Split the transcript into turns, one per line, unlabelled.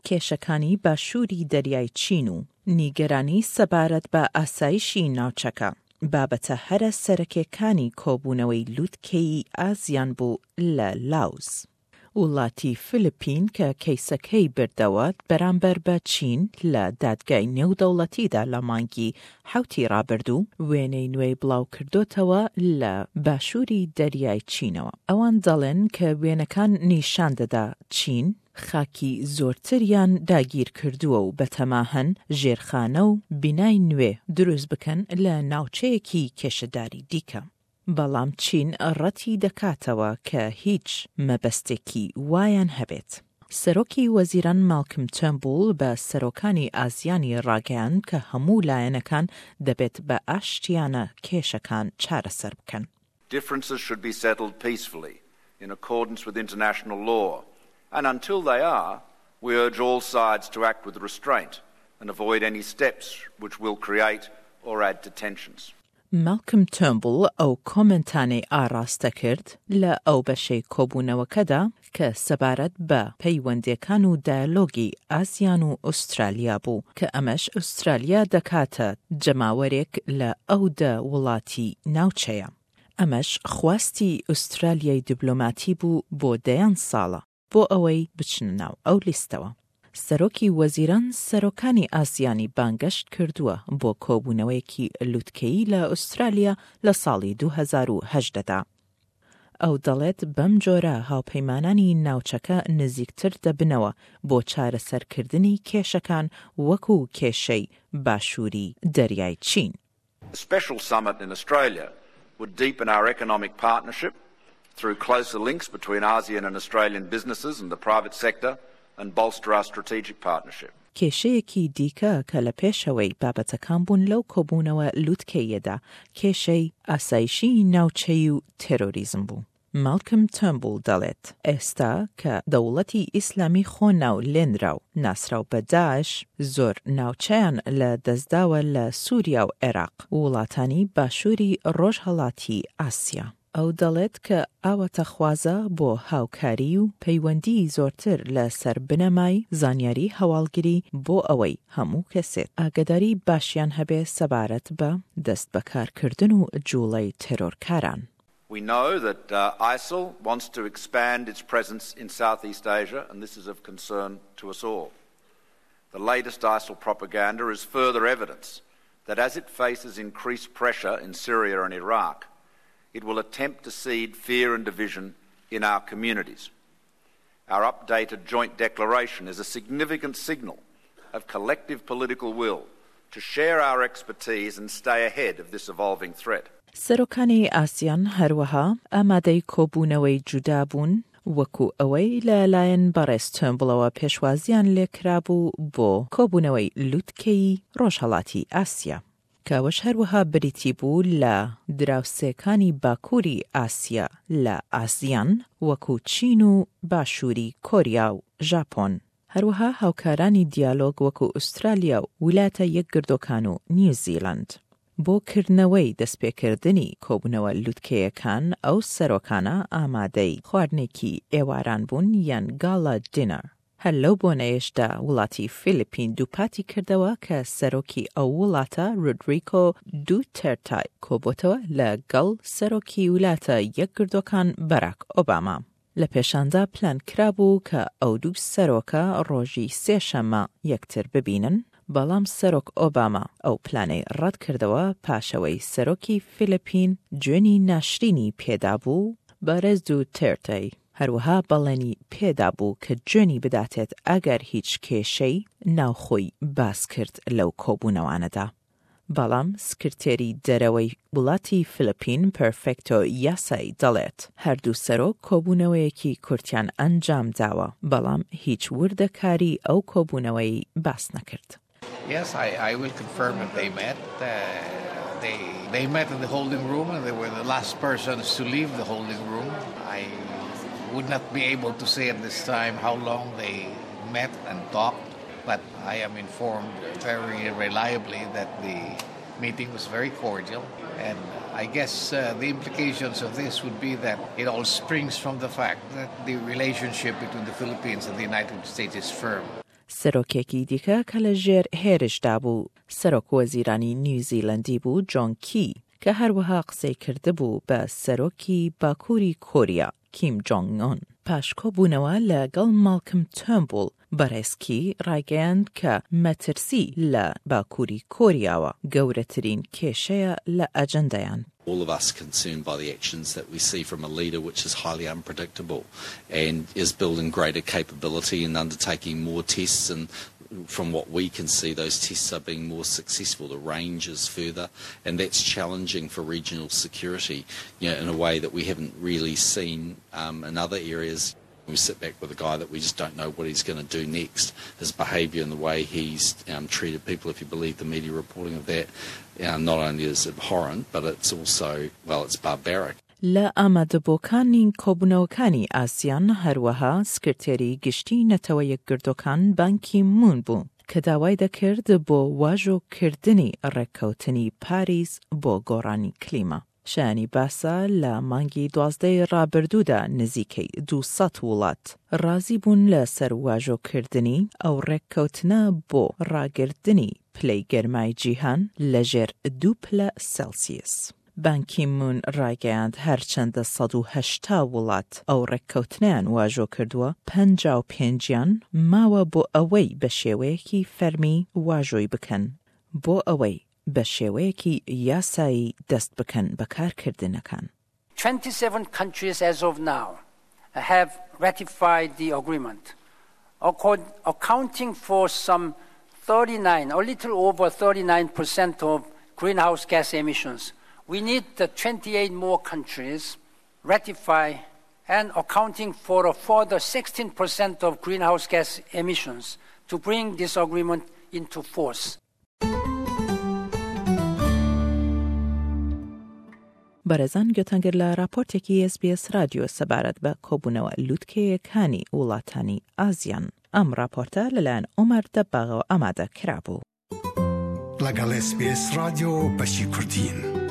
کێشەکانی باشووری دەریای چین و نیگەرانی سەبارەت بە ئاسایشی ناوچەکە، بابەتە هەرە سەرەکێکانی کۆبوونەوەی لوتکەیی ئازیان بوو لە لاوس. وڵاتی فلپین کە کەیسەکەی بردەوە بەرامبەر بە چین لە دادگای نێودەوڵەتیدا لە مانگی حەوتی ڕابردوو، وێنەی نوێی بڵاوکردۆتەوە لە باشووری دەریای چینەوە. ئەوان دەڵێن کە وێنەکان نیشان دەدا چین خاکی زۆرتریان داگیرکردووە و بەتەماهەن ژێرخانە و بینای نوێ دروست بکەن لە ناوچەیەکی کێشەداری دیکە. بەڵام چین ڕەتی دەکاتەوە کە هیچ مەبەستێکی وایان هەبێت. سەرۆکی وەزیران ماڵکم تێرنبوڵ بە سەرۆکانی ئازیانی ڕاگەیاند کە هەموو لایەنەکان دەبێت بە ئاشتیانە کێشەکان چارەسەر بکەن.
Differences should be settled peacefully in accordance with international law and until they are, we urge all sides to act with restraint and avoid any steps which will create or add to tensions.
ماڵکم تێرنبوڵ ئەو کۆمێنتانەی ئاڕاستە کرد لە ئەو بەشەی کۆبوونەوەکەدا کە سەبارەت بە پەیوەندیەکان و دایەلۆگی ئاسیان و ئوسترالیا بوو کە ئەمەش ئوسترالیا دەکاتە جەماوەرێک لە ئەو دە وڵاتی ناوچەیە. ئەمەش خواستی ئوسترالیای دیبلۆماتی بوو بۆ دەیان ساڵە. بۆ ئەوەی بچنە ناو ئەو لیستەوە. سەرۆکی وەزیران سەرۆکانی ئاسیانی بانگەشت کردووە بۆ کۆبوونەوەیەکی لوتکەیی لە ئوسترالیا لە ساڵی 2018 دا. ئەو دەڵێت بەم جۆرە هاوپەیمانانی ناوچەکە نزیکتر دەبنەوە بۆ چارەسەرکردنی کێشەکان وەکو کێشەی باشووری دەریای چین.
A special summit in Australia would deepen our economic partnership through closer links between ASEAN and Australian businesses and the private sector and bolster our strategic partnership.
کێشەیەکی دیکە کە لە پێشەوەی بابەتەکان بوون لەو کۆبوونەوە لوتکەییەدا، کێشەی ئاسایشی ناوچەیی و تێرۆریزم بوو. ماڵکم تێرنبوڵ دەڵێت، ئێستا کە دەوڵەتی ئیسلامی خۆ ناو لێنراو ناسراو بە داعش زۆر ناوچەیان لە دەستداوە لە سوریا و عێراق و وڵاتانی باشوری ڕۆژهەڵاتی ئاسیا. ئەو دەڵێت کە ئاواتەخوازە بۆ هاوکاری و پەیوەندیی زۆرتر لە سەر بنەمای زانیاری هەواڵگری بۆ ئەوەی هەموو کەسێک ئاگەداری باشیان هەبێ سەبارەت بە دەستبەکارکردن و جوڵەی تێرۆرکاران.
We know that uh, ISIL wants to expand its presence in Southeast Asia, and this is of concern to us all. The latest ISIL propaganda is further evidence that as it faces increased pressure in Syria and Iraq, it will attempt to seed fear and division in our communities. Our updated joint declaration is a significant signal of collective political will to share our expertise and stay ahead of this evolving threat.
سەرۆکانی ئاسیان هەروەها ئامادەی کۆبوونەوەی جودا بوون وەکو ئەوەی لە لایەن بەڕێز تێرنبوڵەوە پێشوازیان لێکرابوو بۆ کۆبوونەوەی لوتکەیی ڕۆژهەڵاتی ئاسیا. کە ئەوەش هەروەها بریتی بوو لە دراوسێکانی باکووری ئاسیا لە ئاسیان وەکو چین و باشووری کۆریا و ژاپۆن، هەروەها هاوکارانی دیالۆگ وەکو ئوسترالیا و ولاتە یەکگردۆکان و نیوزیلەند. بۆ کردنەوەی دەستپێکردنی کۆبوونەوە لوتکەیەکان ئەو سەرۆکانە ئامادەی خواردنێکی ئێواران بوون یان گالا دینەر. هەر لەو بۆنەیەشدا وڵاتی فیلیپین دووپاتی کردەوە کە سەرۆکی ئەو وڵاتە رودریکۆ دوتێرتای کۆبۆتەوە لە گەڵ سەرۆکی ولاتە یەکگردوەکان باراک ئۆباما. لە پێشاندا پلان کرابوو کە ئەو دوو سەرۆکە ڕۆژی سێ شەممە یەکتر ببینن، بەڵام سەرۆک ئۆباما ئەو پلانەی ڕەت کردەوە پاشئەوەی سەرۆکی فیلیپین جوێنی ناشرینی پێدابوو، بەڕێز دوتێرتەی هەروەها بەڵێنی پێدابوو کە جوێنی بداتێت ئەگەر هیچ کێشەی ناوخۆی باس کرد لەو کۆبوونەوانەدا. بەڵام سکرتێری دەرەوەی وڵاتی فلپین پێرفێکتۆ یاسای دەڵێت هەردوو سەرۆک کۆبوونەوەیەکی کورتیان ئەنجامداوە، بەڵام هیچ وردەکاری ئەو کۆبوونەوەی باس نەکرد.
Yes, I, I will confirm that they met. Uh, they, they met in the holding room and they were the last persons to leave the holding room. I would not be able to say at this time how long they met and talked, but I am informed very reliably that the meeting was very cordial. And I guess uh, the implications of this would be that it all springs from the fact that the relationship between the Philippines and the United States is firm.
سەرۆکێکی دیکە کە لە ژێر هێرشدا بوو، سەرۆک وەزیرانی نیوزیلەندی بوو جۆن کی، کە هەروەها قسەی کردبوو بە سەرۆکی باکووری کۆریا کیم جۆنگ ئون. پاش کۆبوونەوە لە گەڵ ماڵکم تێرنبوڵ، بەڕێز کی ڕایگەیاند کە مەترسی لە باکووری کۆریاوە گەورەترین کێشەیە لە ئەجەندایان.
All of us concerned by the actions that we see from a leader which is highly unpredictable and is building greater capability and undertaking more tests and from what we can see those tests are being more successful the range is further and that's challenging for regional security you know in a way that we haven't really seen um, in other areas We sit back with a guy that we just don't know what he's going to do next. His behaviour and the way he's um, treated people, if you believe the media reporting of that, uh, not only is abhorrent, but it's also, well, it's barbaric.
لە ئامادەبووەکانی کۆبوونەوەکانی ئاسیان هەروەها سکرتێری گشتی نەتەوە یەکگرتووەکان بان کی مون بوو کە داوای دەکرد بۆ واژۆ کردنی ڕێککەوتنی پاریس بۆ گۆڕانی کلیما. شایانی باسە لە مانگی دوازدەی ڕابردوودا نزیکەی 200 وڵات ڕازی بوون لە سەر واژۆ کردنی ئەو ڕێککەوتنە بۆ ڕاگرتنی پلەی گەرمای جیهان لە ژێر دوو پلە سێڵسیەس. بان کی مون ڕایگەیاند هەرچەندە 180 وڵات ئەو ڕێککەوتنەیان واژۆ کردووە، 55 یان ماوە بۆ ئەوەی بە شێوەیەکی فەرمی واژۆی بکەن بۆ ئەوەی بە شێوەیەکی یاسایی دەست بکەن بە کارکردنەکان.
27 countries as of now have ratified the agreement, accounting for some 39, a little over 39% of greenhouse gas emissions. We need the 28 more countries ratify and accounting for a further 16% of greenhouse gas emissions to bring this agreement into force.
بەڕێزان گوێتان گرت لە راپۆرتێکی ئێس بی ئێس رادیۆ سەبارەت بە کۆبوونەوە لوتکەیەکانی وڵاتانی ئازیان. ئەم راپۆرتە لەلایەن عومەر دەباغەوە ئامادە کرابوو.
لەگەڵ ئێس بی ئێس رادیۆ بەشی کوردین.